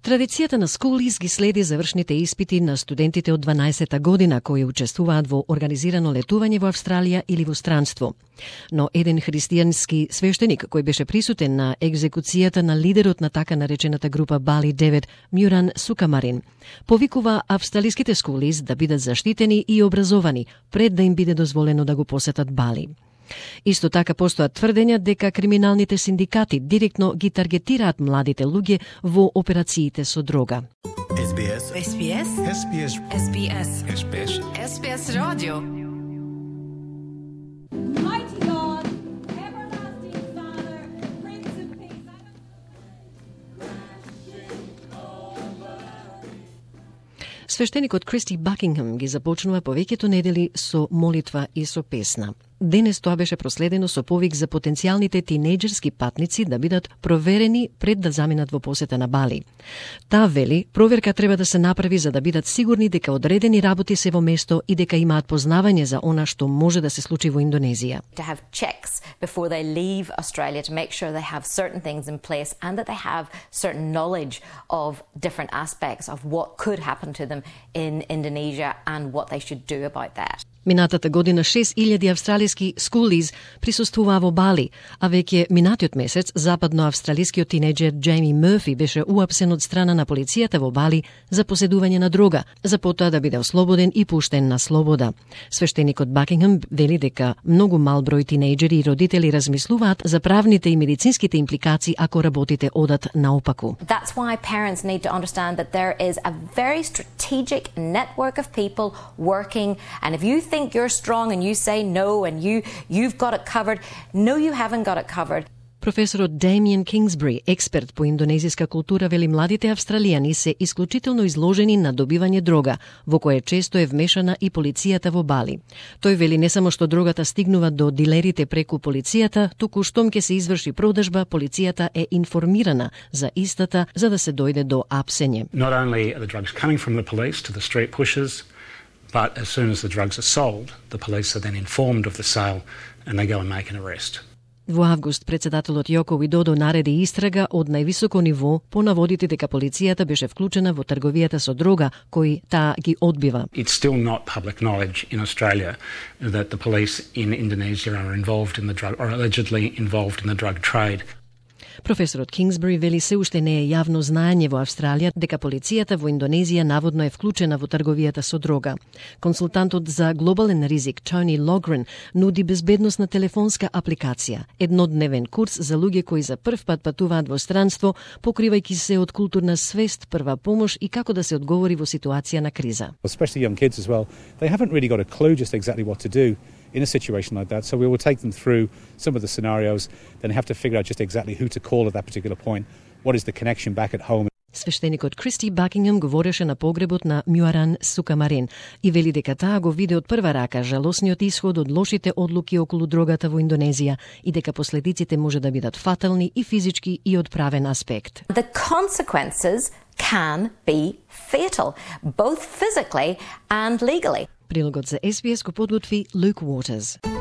Традицијата на Schoolies ги следи завршните испити на студентите од 12-та година кои учествуваат во организирано летување во Австралија или во странство. Но еден христијански свештеник кој беше присутен на екзекуцијата на лидерот на така наречената група Бали 9, Мјуран Сукамарин, повикува австралиските Schoolies да бидат заштитени и образовани пред да им биде дозволено да го посетат Бали. Исто така постојат тврдења дека криминалните синдикати директно ги таргетираат младите луѓе во операциите со дрога. SBS SBS SBS SBS SBS SBS Radio. Mighty God, everlasting Father, Prince of Peace. Свештеникот Кристи Бакингем ги започнува повеќето недели со молитва и со песна. Денес тоа беше проследено со повик за потенцијалните тинејџерски патници да бидат проверени пред да заминат во посета на Бали. Таа вели, проверка треба да се направи за да бидат сигурни дека одредени работи се во место и дека имаат познавање за она што може да се случи во Индонезија. To have checks before they leave Australia to make sure they have certain things in place and that they have certain knowledge of different aspects of what could happen to them in Indonesia and what they should do about that. Минатата година 6.000 австралиски Schoolies присуствуваа во Бали, а веќе минатиот месец западноавстралискиот тинејџер Џејми Мърфи беше уапсен од страна на полицијата во Бали за поседување на дрога, за потоа да биде ослободен и пуштен на слобода. Свештеникот Бакингем вели дека многу мал број тинејџери и родители размислуваат за правните и медицинските импликации ако работите одат наопаку. That's why parents need to understand that there is a very strategic network of people working, and if you think you're strong and you say no and you've got it covered, no you haven't got it covered. Професорот Damien Kingsbury, експерт по индонезиска култура, вели младите австралијани се исклучително изложени на добивање дрога, во кое често е вмешана и полицијата во Бали. Тој вели не само што дрогата стигнува до дилерите преку полицијата, туку штом ќе се изврши продажба, полицијата е информирана за истата за да се дојде до апсење. Not only are the drugs coming from the police to the street pushers, but as soon as the drugs are sold, the police are then informed of the sale and they go and make an arrest. Во август председателот Јоко Видодо нареди истрага од највисоко ниво по наводите дека полицијата беше вклучена во трговијата со дрога, кои таа ги одбива. It's still not public knowledge in Australia that the police in Indonesia are involved in the drug or allegedly involved in the drug trade. Професорот Кингсбери вели се уште не е јавно знаење во Австралија дека полицијата во Индонезија наводно е вклучена во трговијата со дрога. Консултантот за глобален ризик Тони Логрен нуди безбедносна телефонска апликација, еднодневен курс за луѓе кои за прв пат патуваат во странство, покривајќи се од културна свест, прва помош и како да се одговори во ситуација на криза. Especially young kids as well, they haven't really got a clue just exactly what to do in a situation like that. So we will take them through some of the scenarios, then have to figure out just exactly who to call at that particular point. What is the connection back at home? Свештеникот Кристи Бакингем говореше на погребот на Мјуран Сукамарин и вели дека таа го виде од прва рака жалосниот исход од лошите одлуки околу дрогата во Индонезија и дека последиците може да бидат фатални и физички и од правен аспект. The consequences can be fatal, both physically and legally. Прилогот за SBS го подготви Luke Waters.